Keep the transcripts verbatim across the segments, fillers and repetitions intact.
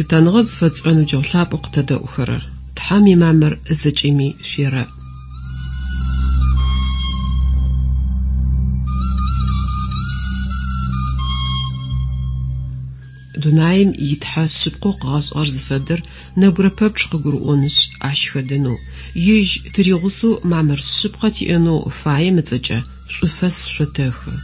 Лъытэныгъэ зыфэтшӏырэ ныбджэгъу лъапӏэу къытэдэӏухэрэр, Тхьэм имамыр зэкӏэми шъуерэӏ. Дунаим итхьэ шъыпкъэу къыгъэшӏыгъэр зыфэдэр нэбгырэ пэпчъ къыгурыӏонышъ, ащ хэдэнэу, ежь тыригъусэу мамыр шъыпкъэ тиӏэнэу фаем ыцӏэкӏэ шӏуфэс шъотэхы.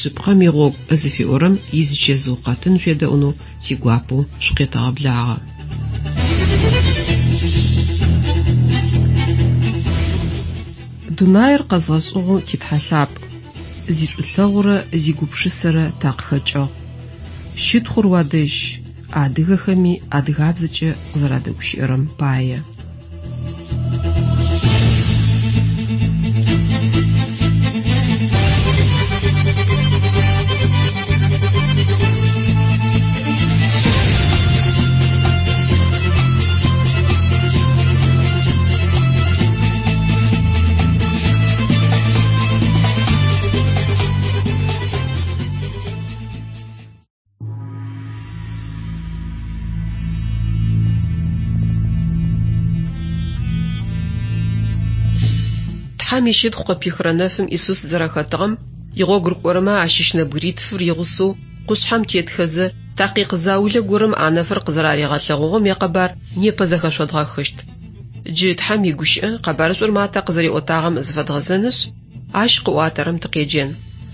Шъыпкъэм игъогу зыфиӏорэм изычэзыу къэтын шъуедэӏунэу тигуапэу шъукъетэгъэблагъэ. Дунаир къэзгъэшӏыгъэу титхьэ лъапӏ, зишӏулъэгъурэ зигупшысэрэ такъыхэкӏыгъ. Щытхъур уадэжь, адыгэхэми адыгабзэкӏэ къызэрадэгущыӏэрэм пае. Тхьэм ищытхъу къыпихырэ нэфым Исус зэрэхэтыгъэм игъогу рыкӏорэмэ ащыщ нэбгыритфыр игъусэу къушъхьэм тетхэзэ такъикъ заулэ горэм а нэфыр къызэраригъэлъэгъугъэм якъэбар непэ зэхэшъодгъэхыщт. Джы Тхьэм игущыӏэ къэбарышӏур Матэ къызэриӏотагъэм зыфэдгъэзэнышъ, ащ къыӏуатэрэм тыкъеджэн.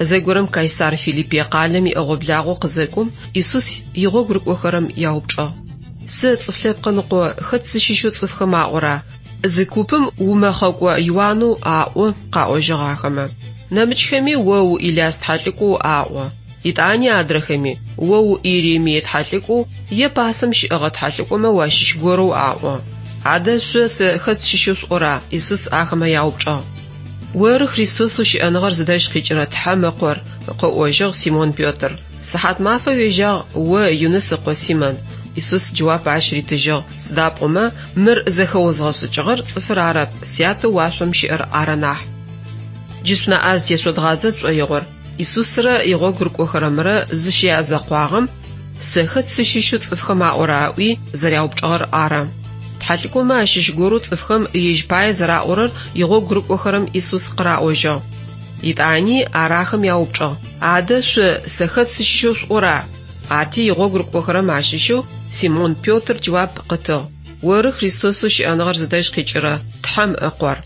Зэгорэм Кайсар Филиппие къалэм иӏэгъо-благъо къызэкӏом, Исус игъогу рыкӏохэрэм яупчӏыгъ. Сэ цӏыф лъэпкъым ыкъо хэт сыщыщэу цӏыфхэм аӏора? Зы купым умэхъэкӏо Иуанэу аӏо, къаӏожьыгъ ахэмэ. Нэмыкӏхэми о у Иляс тхьэлӏыкӏоу аӏо. Итӏани адрэхэми о у Иеремие тхьэлӏыкӏоу е пасэм щыӏэгъэ тхьэлӏыкӏомэ уащыщ горэу аӏо. Адэ шъо сэ хэт сыщыщэу шъуӏора? Исус ахэмэ яупчӏыгъ. Оры Христосэу щыӏэныгъэр зыдэжь къикӏырэ Тхьэм ыкъор, къыӏожьыгъ Симон Петр. Сыхьат мафэ уежьагъ о Юныс ыкъо Симон. Исус джэуап ащ ритыжьыгъ. Сыда пӏомэ мыр зэхэозгъэшӏыкӏыгъэр цӏыфыр арэп, сятэу уашъом щыӏэр ары нахь. Джы шъунаӏэ зытешъодгъазэ тшӏоигъор Исусрэ игъогу рыкӏохэрэмрэ зыщязэкъуагъэм сэ хэт сыщыщэу цӏыфхэм аӏора ыӏуи зэряупчӏыгъэр ары. Тхьэлӏыкӏомэ ащыщ горэу цӏыфхэм ежь пае зэраӏорэр игъогу рыкӏохэрэм Исус къыраӏожьыгъ. Итӏани ар ахэм яупчӏыгъ. Адэ шъо сэ хэт сыщыщэу шъуӏора? Арти игъогу рыкӏохэрэм ащыщэу Симон Петр джэуап къытыгъ. Оры Христосэу щыӏэныгъэр зыдэжь къикӏырэ Тхьэм ыкъор.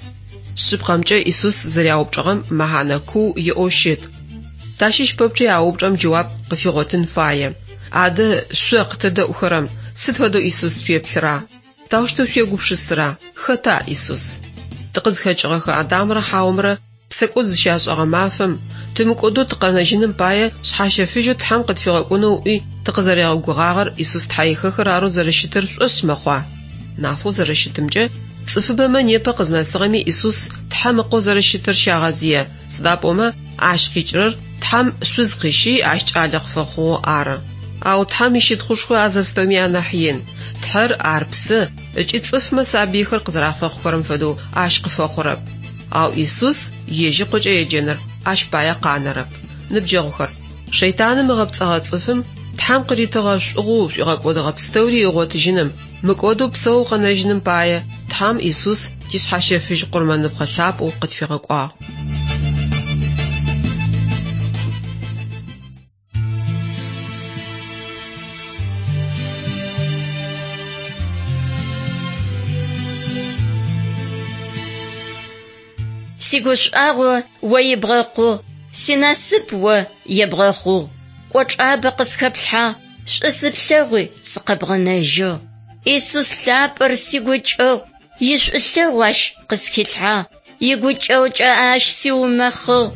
Шъыпкъэмкӏэ Исус зэряупчӏыгъэм мэхьанэ куу иӏэу щыт. Тащыщ пэпчъи а упчӏэм джэуап къыфигъотын фае. Адэ шъо къытэдэӏухэрэм сыд фэдэу Исус шъуеплъыра? Таущтэу шъуегупшысыра? Хэта Исус? Тыкъызхэкӏыгъэхэ Адамрэ Хьаомрэ псэкӏод зыщашӏэгъэ мафэм тымыкӏодэу тыкъэнэжьыным пае шъхьащэфыжьэу Тхьэм къытфигъэкӏонэу ыӏуи тыкъызэригъэгугъагъэр Исус тхьэихэхыр арэу зэрэщытыр шӏошъ мэхъуа? Нафэу зэрэщытымкӏэ цӏыфыбэмэ непэ къызнэсыгъэми Исус Тхьэм ыкъо зэрэщытыр щагъэзые. Сыда пӏомэ ащ къикӏырэр Тхьэм шъуз къыщи ащ кӏалэ къыфэхъугъэу ары. Ау Тхьэм ищытхъушхо а зэпстэуми анахь ин. Тхьэр ар псы ыкӏи цӏыфмэ сабыйхэр къызэрафэхъухэрэм фэдэу ащ къыфэхъурэп. Ау Исус ежь ыкъокӏэ еджэныр ащ пае къанэрэп. Ныбджэгъухэр, шэйтаным ыгъэпцӏэгъэ цӏыфым Тхьэм къыритыгъэ шӏугъэу шӏуигъэкӏодыгъэ пстэури ыгъотыжьыным, мыкӏодэу псэу къэнэжьыным пае Тхьэм Исус тишъхьащэфыжь къурмэныпхъэ лъапӏэу къытфигъэкӏуагъ. Сигушӏуагъо о ибгъэкъугъ, синасып о ебгъэхъугъ. Кӏочӏабэ къысхэплъхьагъ, шӏу сыплъэгъуи сыкъэбгъэнэжьыгъ. Исус лъапӏэр сигукӏэгъу, ишӏулъэгъу ащ къысхилъхьагъ, игукӏэгъукӏэ ащ сиумэхъыгъ.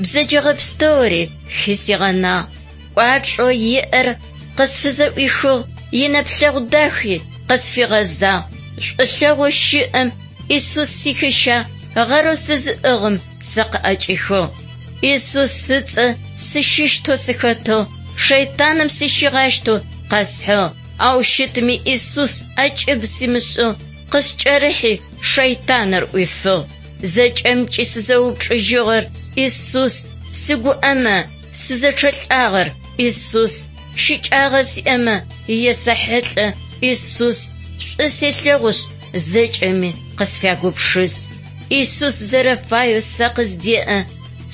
Бзэджэгъэ пстэури хысигъэнагъ. Кӏуачӏэу иӏэр къысфызэӏуихыгъ, инэплъэгъу дахи къысфигъэзагъ. Шӏулъэгъоу щыӏэм Исус сихыщагъ, гъэрэу сызыӏыгъым сэ къыӏэкӏихыгъ. Исус ыцӏэ сыщыщтэу сыхэтыгъ, шэйтаным сыщигъащтэу къэсхьыгъ. Ау щытми Исус ӏэкӏыб симышӏыгъ, къыскӏэрыхьи шэйтаныр ӏуифыгъ. Зэкӏэмкӏи сызэупчӏыжьыгъэр Исус, сыгуӏэмэ сызэчъэлӏагъэр Исус, щыкӏагъэ сиӏэмэ есэхьылӏэ Исус, шӏу селъэгъушъ зэкӏэми къысфягупшыс. Исус зэрэфаеу сэ къыздеӏэ,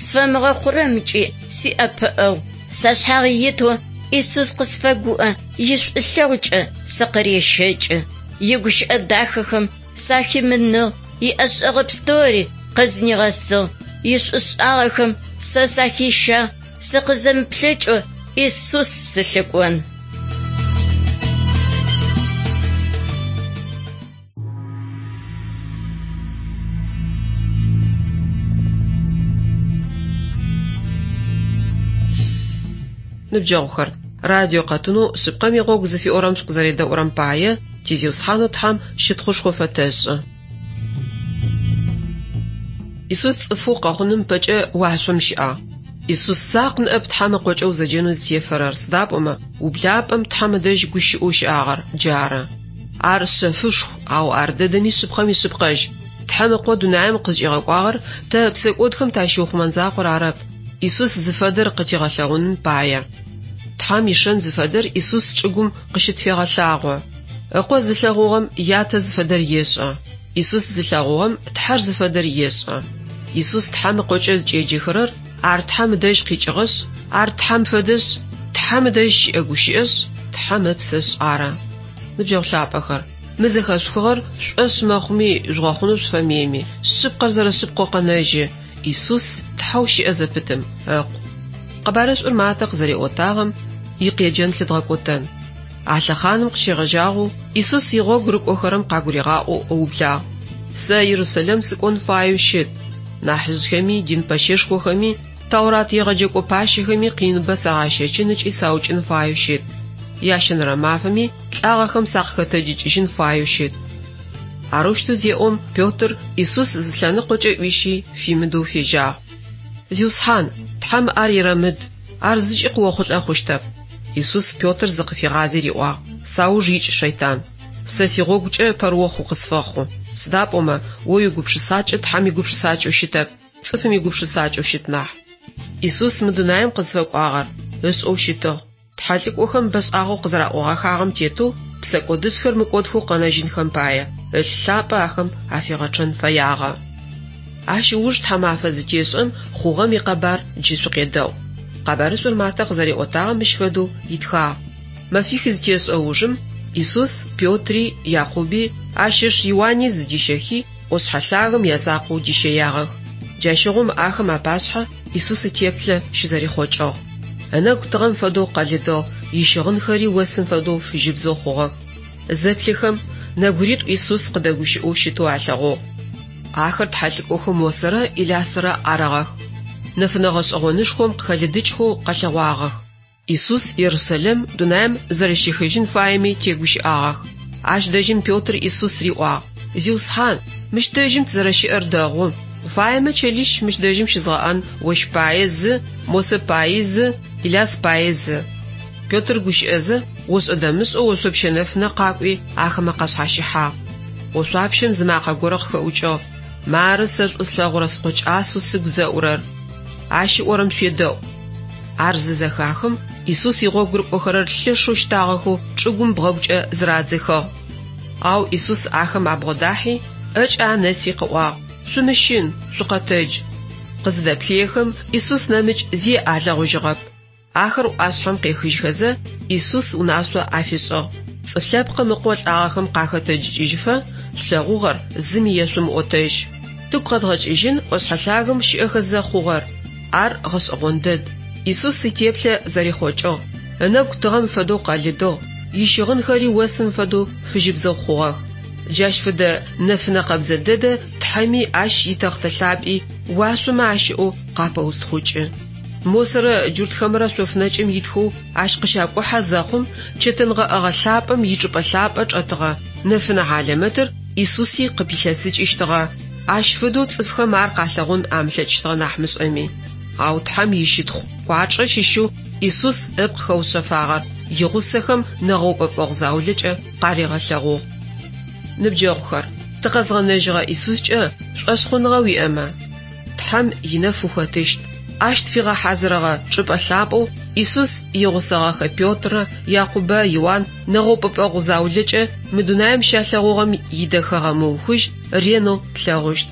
сфэмыгъэхъурэмкӏи сиӏэпыӏэгъу. Сашъхьагъ итэу Исус къысфэгуӏэ, ишӏулъэгъукӏэ сыкъырещэкӏы. Игущыӏэ дахэхэм сахимыныгъ, иӏэшӏэгъэ пстэури къызнигъэсыгъ. Ишӏушӏагъэхэм сэ сахищагъ, сыкъызэмыплъэкӏэу Исус сылъыкӏон. Ныбджэгъухэр, радио къэтынэу шъыпкъэм игъогу зыфиӏорэм шъукъызэредэӏурэм пае ти Зиусхьанэу Тхьэм щытхъушхо фэтэшӏы. Исус цӏыфэу къэхъуным пэкӏэ уашъом щыӏагъ. Исус закъу ныӏэп Тхьэм ыкъокӏэ узэджэнэу зытефэрэр, сыда пӏомэ ублапӏэм Тхьэм ыдэжь гущыӏэу щыӏагъэр джары. Ар шъэфышху, ау ар дэдэми шъыпкъэм ишъыпкъэжь. Тхьэм ыкъо дунаим къызкӏигъэкӏуагъэр тэ псэкӏодхэм тащиухъумэн закъор арэп. Исус зыфэдэр къытигъэлъэгъуным пае. Тхьэм ишэн зыфэдэр Исус чӏыгум къыщытфегъэлъагъо. Ыкъо зылъэгъугъэм ятэ зыфэдэр ешӏэ. Исус зылъэгъугъэм Тхьэр зыфэдэр ешӏэ. Исус Тхьэм ыкъокӏэ зыкӏеджэхэрэр ар Тхьэм ыдэжь къикӏыгъэшъ, ар Тхьэм фэдэшъ, Тхьэм ыдэжь щыӏэ гущыӏэшъ, Тхьэм ыпсэшъ ары. Ныбджэгъу лъапӏэхэр, мы зэхэшъухыгъэр шӏошъ мэхъуми жъугъэхъунэу шъуфэмыеми, шъыпкъэр зэрэшъыпкъэу къэнэжьы. Исус Тхьэу щыӏэ зэпытым ыкъу. Къэбарышӏур Матэ къызэриӏотагъэм икъеджэн лъыдгъэкӏотэн. А лъэхъаным къыщегъэжьагъэу Исус игъогу рыкӏохэрэм къагуригъаӏоу ыублагъ. Сэ Иерусалим сыкӏон фаеу щыт. Нахьыжъхэми, дин пэщэшхохэми, Таурат егъэджэкӏо пащэхэми къиныбэ сагъащэчын ыкӏи саукӏын фаеу щыт. Ящэнэрэ мафэми лӏагъэхэм сакъыхэтэджыкӏыжьын фаеу щыт. Арэущтэу зеӏом Петр Исус зы лъэныкъокӏэ ӏуищи фимыдэу фежьагъ. Зиусхьан, Тхьэм ар ерэмыд, ар зыкӏи къыохъулӏэ хъущтэп. Исус Петр зыкъыфигъази риӏуагъ: Сауж икӏ, шэйтан. Сэ сигъогукӏэ пэрыохъу укъысфэхъу. Сыда пӏомэ о уигупшысакӏэ Тхьэм игупшысакӏэу щытэп, цӏыфым игупшысакӏэу щыт нахь. Исус мы дунаим къызфэкӏуагъэр ышӏэу щытыгъ. Тхьэлӏыкӏохэм бэшӏагъэу къызэраӏогъэхагъэм тетэу псэкӏодышъхэр мыкӏодхэу къэнэжьынхэм пае ылъ лъапӏэ ахэм афигъэчъэн фэягъэ. Ащ ыуж тхьамафэ зытешӏэм хъугъэм икъэбар джы шъукъедэӏу. Къэбарышӏур Матэ къызэриӏотагъэм мыщ фэдэу итхагъ. Мэфих зытешӏэ ужым Исус Петри, Якъуби, ащ ыш Иуани зыдищэхи, ӏошъхьэ лъагэм язакъоу дищэягъэх. Джащыгъум ахэм апашъхьэ Исус итеплъэ щызэрихъокӏыгъ. Ынэгу тыгъэм фэдэу къэлыдыгъ, ищыгъынхэри осым фэдэу фыжьыбзэу хъугъэх. Зэплъыхэм нэбгыритӏу Исус къыдэгущыӏэу щытэу алъэгъугъ. Ахэр тхьэлӏыкӏохэм Мосэрэ Илясэрэ арыгъэх. Нэфынэ гъэшӏэгъонышхом къыхэлыдыкӏхэу къэлъэгъуагъэх. Исус Иерусалим дунаим зэрэщехыжьын фаеми тегущыӏагъэх. Ащ дэжьым Петр Исус риӏуагъ: Зиусхьан, мыщ дэжьым тызэрэщыӏэр дэгъу. Фаемэ чэлищ мыщ дэжьым щызгъэӏэн, ощ пае зы, Мосэ пае зы, Иляс пае зы. Петр гущыӏэзэ, ошӏэ-дэмышӏэу ошъопщэ нэфынэ къакӏуи ахэмэ къашъхьащыхьагъ. Ошъуапщэм зы макъэ горэ къыхэӏукӏыгъ: Мары сэ шӏу слъэгъурэ скъо кӏасэу сыгу зэӏурэр. Ащ ыӏорэм шъуедэӏу. Ар зызэхахым Исус игъогу рыкӏохэрэр лъэшэу щтагъэхэу чӏыгум бгъэгукӏэ зырадзэхыгъ. Ау Исус ахэм абгъодахьи, ӏэкӏэ анэси къыӏуагъ: Шъумыщын, шъукъэтэдж. Къызыдэплъыехэм Исус нэмыкӏ зи алъэгъужьыгъэп. Ахэр ӏуашъхьэм къехыжьхэзэ, Исус унашъо афишӏыгъ: Цӏыф лъэпкъым ыкъо лӏагъэхэм къахэтэджыкӏыжьыфэ шъулъэгъугъэр зыми ешъумыӏотэжь. Тыгу къэдгъэкӏыжьын ӏошъхьэ лъагэм щыӏэхэзэ хъугъэр. Ар гъэшӏэгъон дэд. Исус итеплъэ зэрихъокӏыгъ. Ынэгу тыгъэм фэдэу къэлыдыгъ, ищыгъынхэри осым фэдэу фыжьыбзэу хъугъэх. Джащ фэдэ нэфынэ къэбзэ дэдэ Тхьэми ащ итэхътэ лъапӏи уашъомэ ащыӏэу къапэустхъукӏы. Мосэрэ джуртхэмрэ шъофнэкӏым итхэу ащ къыщакӏухьэ зэхъум чэтэн гъэӏэгъэ лъапӏэм ичӏыпӏэ лъапӏэ чӏэтыгъэ нэфынэ хьалэмэтыр Исуси къыпилъэсыкӏыщтыгъэ. Ащ фэдэу цӏыфхэм ар къалъэгъун амылъэкӏыщтыгъэ нахь мышӏэми. Ау Тхьэм ищытхъу кӏуачӏэ щыщэу Исус ыпкъ хэушъэфагъэр игъусэхэм нэгъэупӏэпӏэгъу заулэкӏэ къаригъэлъэгъугъ. Ныбджэгъухэр, Тыкъэзгъэнэжьыгъэ Исускӏэ шӏошъхъуныгъэ уиӏэмэ, Тхьэм инэф ухэтыщт. Ащ тфигъэхьазырыгъэ чӏыпӏэ лъапӏэу Исус игъусэгъэхэ Петрэ, Якъубэ, Иуан нэгъэупӏэпӏэгъу заулэкӏэ мы дунаим щалъэгъугъэм идэхэгъэ мыухыжь ренэу тлъэгъущт.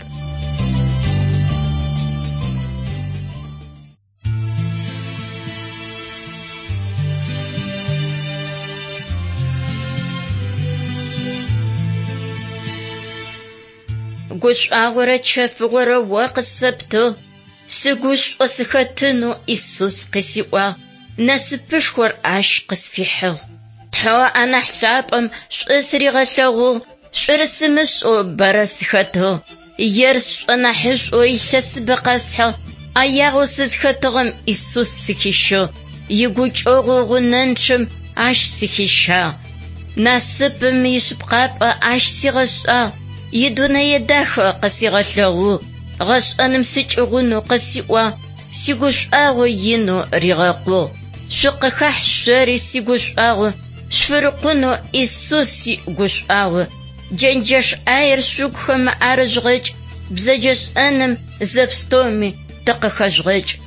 Гушӏуагъорэ чэфыгъорэ о къысэптыгъ. Сыгушӏо сыхэтынэу Исус къысиӏуагъ. Насыпышхор ащ къысфихьыгъ. Тхьэу анахь лъапӏэм шӏу сыригъэлъэгъугъ. Шӏур сымышӏэу бэрэ сыхэтыгъ. Ер сшӏонахьышӏоу илъэсыбэ къэсхьыгъ. Ӏэягъэу сызхэтыгъэм Исус сыхищыгъ. Игукӏэгъу гъунэнчъэм ащ сыхищагъ. Насыпым ишъыпкъапӏэ ащ сигъэшӏагъ. Идунэе дахэ къысигъэлъэгъугъ. Гъэшӏэным сыкӏыгъунэу къысиӏуагъ. Сигушӏуагъо инэу ригъэкъугъ. Шъукъыхахь шъори сигушӏуагъо. Шъуфырыкъунэу Исус игушӏуагъо. Джэнджэш ӏаер шъугухэм арыжъугъэкӏ. Бзэджэшӏэным зэпстэуми тыкъыхэжъугъэкӏ.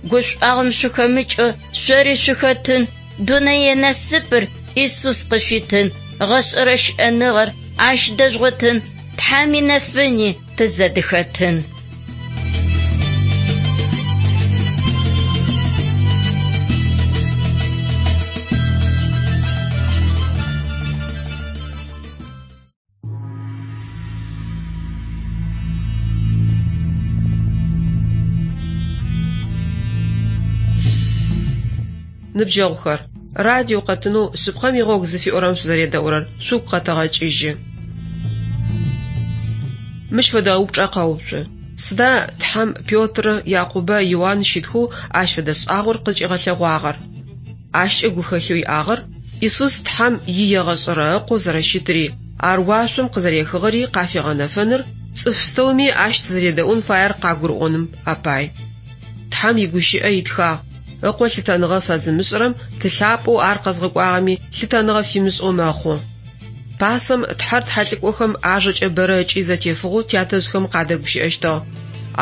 Гушӏуагъом шъухэмыкӏэу шъори шъухэтын. Дунэе насыпыр Исус къышъуитын. Гъэшӏэрэ щыӏэныгъэр ащ дэжъугъотын. Тхьэм инэфыни тызэдыхэтын. Ныбджэгъухэр, радио къэтынэу шъыпкъэм игъогу зыфиӏорэм шъузэредэӏурэр шъугу къэтэгъэкӏыжьы. Мыщ фэдэ упчӏэ къэуцу. Сыда Тхьэм Петрэ, Якъубэ, Иуан щытхэу ащ фэдэ шӏагъор къызкӏигъэлъэгъуагъэр? Ащкӏэ гухэлъэу иӏагъэр Исус Тхьэм иегъэшӏэрэ ыкъоу зэрэщытыри, ар уашъом къызэрехыгъэри къафигъэнэфэныр, цӏыф пстэуми ащ тызэредэӏун фаер къагурыӏоным апай. Тхьэм игущыӏэ итхагъ. Ыкъо лъытэныгъэ фэзымышӏырэм ты лъапӏэу ар къэзгъэкӏуагъэми лъытэныгъэ фимышӏэу мэхъу. Пасэм Тхьэр тхьэлӏыкӏохэм ажэкӏэ бэрэ ыкӏи зэтефыгъэу тятэжъхэм къадэгущыӏэщтыгъ.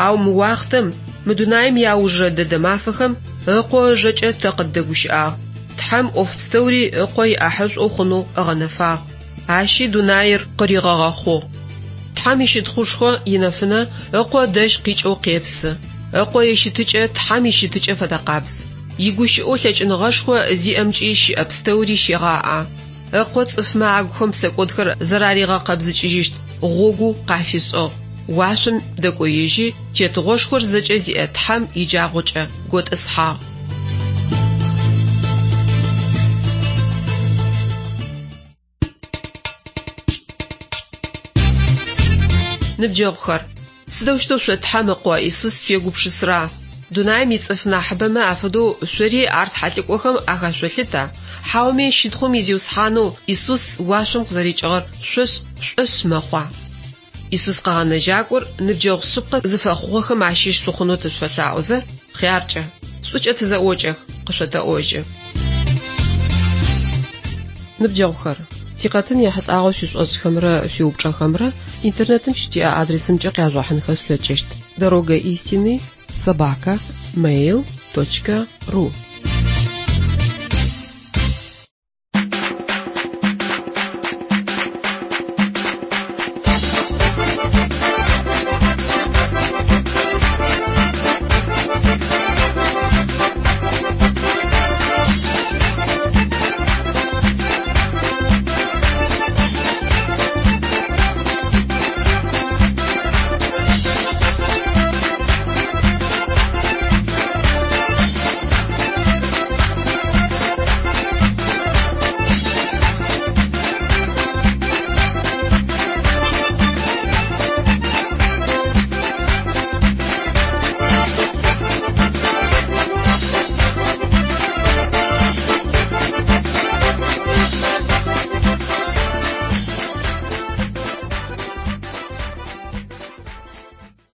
Ау мы уахътэм, мы дунаим иаужырэ дэдэ мафэхэм ыкъо ыжэкӏэ тэ къыддэгущыӏагъ. Тхьэм ӏоф пстэури ыкъо иӏахьышӏоу хъунэу ыгъэнэфагъ. Ащи дунаир къыригъэгъэхъугъ. Тхьэм ищытхъушхо инэфынэ ыкъо дэжь къикӏэу къепсы. Ыкъо ищытыкӏэ Тхьэм ищытыкӏэ фэдэкъабз. Игущыӏэу лъэкӏыныгъэшхо зиӏэмкӏи щыӏэ пстэури щегъаӏэ. Ыкъо цӏыфмэ агухэм псэкӏодхэр зэраригъэкъэбзыкӏыжьыщт гъогу къафишӏыгъ. Уашъом дэкӏоежьи, тетыгъошхор зэкӏэ зиӏэ Тхьэм иджагъокӏэ готӏысхьагъ. Ныбджэгъухэр, сыдэущтэу шъо Тхьэм ыкъо Исус шъуегупшысэра? Дунаим ицӏыф нахьыбэмэ афэдэу шъори ар тхьэлӏыкӏохэм ахэшъолъыта? Хьауми щытхъум изиусхьанэу Исус уашъом къызэрикӏыгъэр шъошӏ шӏошъ мэхъуа? Исус къэгъэнэжьакӏор ныбджэгъу шъыпкъэ зыфэхъугъэхэм ащыщ шъухъунэу тышъуфэлъаӏозэ, хъяркӏэ, шӏукӏэ тызэӏокӏэх, къышъотэӏожьы. Ныбджэгъухэр, тикъэтын ехьылӏагъэу шъуишӏошӏхэмрэ шъуиупчӏэхэмрэ интернетым щытиӏэ адресымкӏэ къяжъугъэхьынхэ шъулъэкӏыщт. Дорога истины собака mail точка ру.